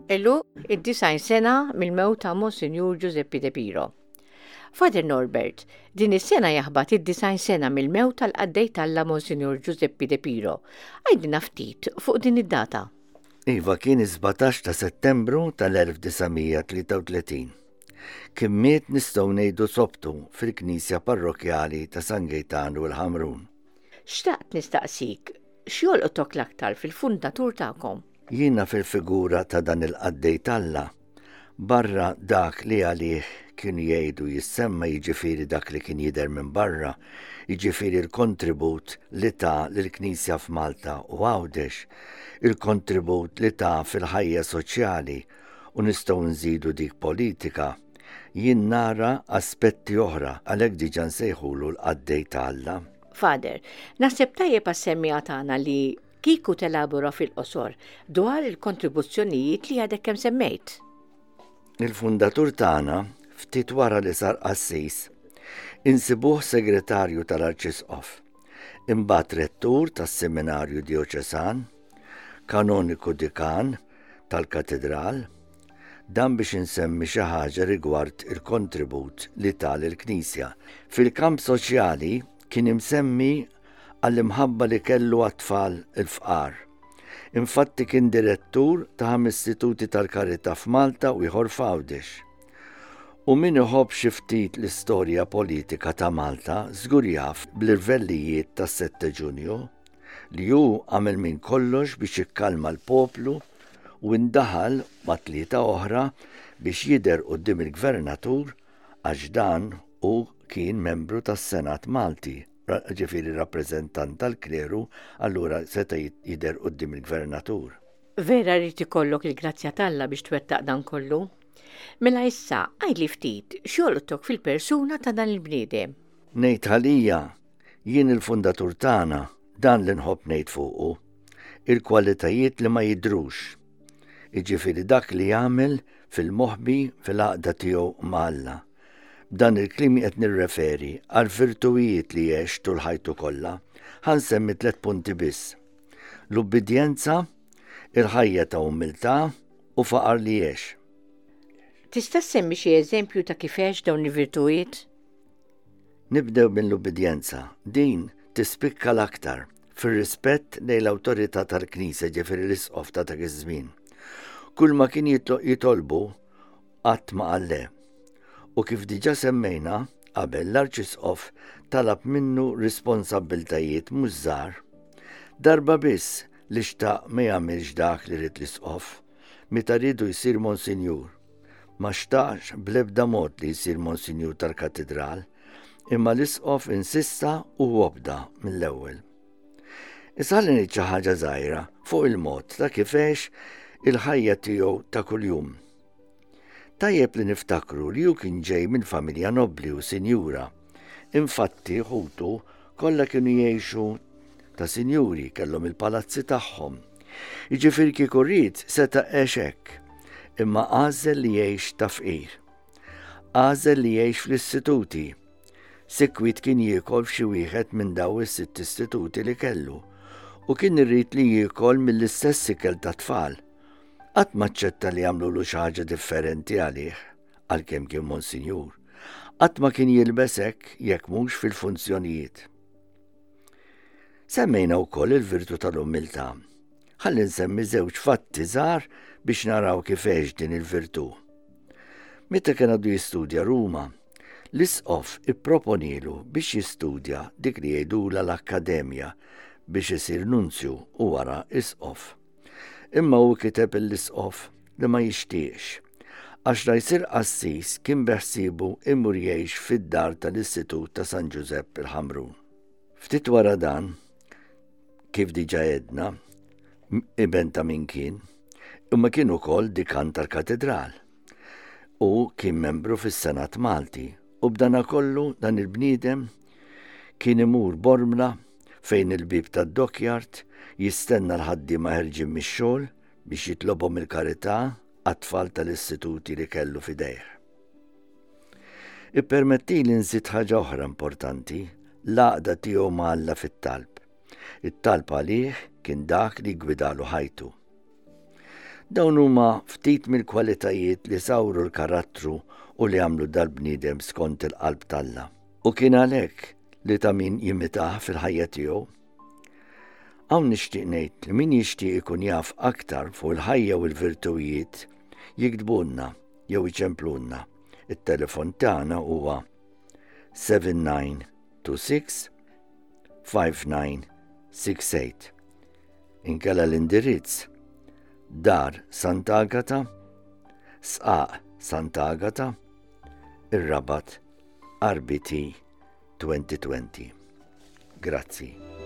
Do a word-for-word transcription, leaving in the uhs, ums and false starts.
Għeluq id-disgħin sena mill-mewt ta' Monsinjur Giuseppe De Piro. Father Norbert, din is-sena jaħbat id-disgħin sena mill-mewt tal-qaddej t'Alla Monsinjur Giuseppe De Piro. Għidilna ftit fuq din id-data. Iva, kien is-sbatax ta' Settembru tal-elf disa' mija tlieta u tletin. Kien miet, nistgħu ngħidu, sobtu fil-Knisja Parrokjali ta' San Gejtanu l-Ħamrun. Xtaqt nistaqsik, x'jolqtok l-aktar fil-fundatur tagħkom? Jiena fil-figura ta' dan il-qaddej t'Alla, barra dak li għalih kienu jgħidu jissemma, jiġifieri dak li kien jidher minn barra, jiġifieri l-kontribut li ta lill-Knisja f'Malta u Għawdex, il-kontribut li ta fil-ħajja soċjali u nistgħu nżidu dik politika, jien nara aspetti oħra, għalhekk diġà nsejħulu l-qaddej ta' Alla. Father, naħseb tajjeb għas-semmiegħa tagħna li kieku telabora fil-qosor dwar il-kontribuzzjonijiet li għadek kemm semmejt. Il-fundatur tagħna, ftit wara li sar qassis, insibuh segretarju tal-Arċisqof, imbagħad rettur tas-Seminarju Dioċesan, kanoniku dikan tal-Katedral, dan biex insemmi xi ħaġa rigward il-kontribut li ta lill-Knisja. Fil-kamp soċjali kien imsemmi għall-imħabba li kellu għat-tfal il-fqar. Infatti kien direttur ta' ħames istituti tal-karità f'Malta u ieħor f'Għawdex. U min iħobb xi ftit l-istorja politika ta' Malta żgur jaf bl-irvellijiet tas-sette Ġunju li hu għamel minn kollox biex jikkalma l-poplu u indaħal ma' tlieta oħra biex jidher quddiem il-gvernatur għax dan hu kien membru tas-Senat Malti, ġifieri rappreżentant tal-kleru, allura seta' jidher quddiem il-gvernatur. Vera rrid ikollok il-grazzja t'Alla biex twettaq dan kollu. Mela issa, għidli ftit, x'jolqtok fil-persuna ta' dan il-bniedem? Ngħid għalija, jien il-fundatur tagħna, dan li nħobb ngħid fuqu, il-kwalitajiet li ma jidhrux. Jiġifieri dak li jagħmel fil-moħbi fil-għaqda tiegħu ma' Alla. B'dan il-kliem qed nirreferi għal virtuwijiet li għex tul ħajtu kollha. Ħa nsemmi tliet punti biss. L-ubbidjenza, il-ħajja ta' umiltà u faqar li għex. Tista' ssemmi xi eżempju ta' kif għex dawn il-virtuwijiet? Nibdew mill-ubbidjenza. Din tispikka l-aktar fir-rispett lejn l-awtorità tal-Knisja, ġifieri l-isqof ta' dak iż-żmien. Kull ma kien jitlo-, jitolbu qatt ma qal le. U kif diġà semmejna qabel, l-Arċisqof talab minnu responsabbiltajiet mhux żgħar. Darba biss li xtaq ma jagħmilx dak li ried l-isqof, meta riedu jsir monsinjur. Ma xtaqx bl-ebda mod li jsir monsinjur tal-katedral, imma l-isqof insista u obda mill-ewwel. Issa ħalli ngħid xi ħaġa żgħira fuq il-mod ta' kif għex il-ħajja tiegħu ta' kuljum. Tajjeb li niftakru li hu kien ġej minn familja nobli u sinjura. Infatti ħutu kollha kienu jgħixu ta' sinjuri, kellhom il-palazzi tagħhom. Jiġifieri kieku ried seta' għex hekk, imma għażel li jgħix ta' fqir. Għażel li jgħix fl-istituti. Sikwit kien jiekol f'xi wieħed minn daw is-sitt istituti li kellu u kien irrid li jiekol mill-istess ikel ta' tfal. Qatt ma aċċetta li jagħmlulu xi ħaġa differenti għalih, għalkemm kien monsinjur. Qatt ma kien jilbes hekk jekk mhux fil-funzjonijiet. Semmejna wkoll il-virtu tal-umiltà. Ħalli nsemmi żewġ fatti żgħar biex naraw kif għex din il-virtu. Meta kien għadu jistudja Ruma, l-isqof ipproponilu biex jistudja dik li jgħidulha l-akkademja biex isir nunzju u wara isqof. Imma hu kiteb l-isqof li ma jixtieqx, għax la jsir qassis kien beħsiebu imur jgħix fid-dar tal-Istitut ta' San Ġużepp il-Ħamrun. Ftit wara dan, kif diġà għedna, iben ta' min kien, imma kien ukoll dikan tal-katedral u kien membru fis-Senat Malti, u b'dana kollu dan il-bniedem kien imur Bormla fejn il-bib tad-dockyard jistenna l-ħaddiema ħerġin mix-xogħol biex jitlobhom il-karità għat-tfal tal-istituti li kellu f'idejh. Ippermetti li nżid ħaġa oħra importanti, l-għaqda tiegħu ma' Alla fit-talb. It-talb għalih kien dak li gwidalu ħajtu. Dawn huma ftit mill-kwalitajiet li sawru l-karattru u li għamlu dal-bniedem skont il-qalb t'Alla. U kien għalhekk li ta' min jimitah fil-ħajja tiegħu. Hawn nixtieq ngħid li min jixtieq ikun jaf aktar fuq il-ħajja u l-virtujiet jiktbulna jew iċemplulna. It-telefon tagħna huwa seven nine two six five nine six eight. Inkella l-indirizz: Dar Sant'Agata, Sqaq Sant'Agata, ir-Rabat, R B T twenty twenty. Grazzi.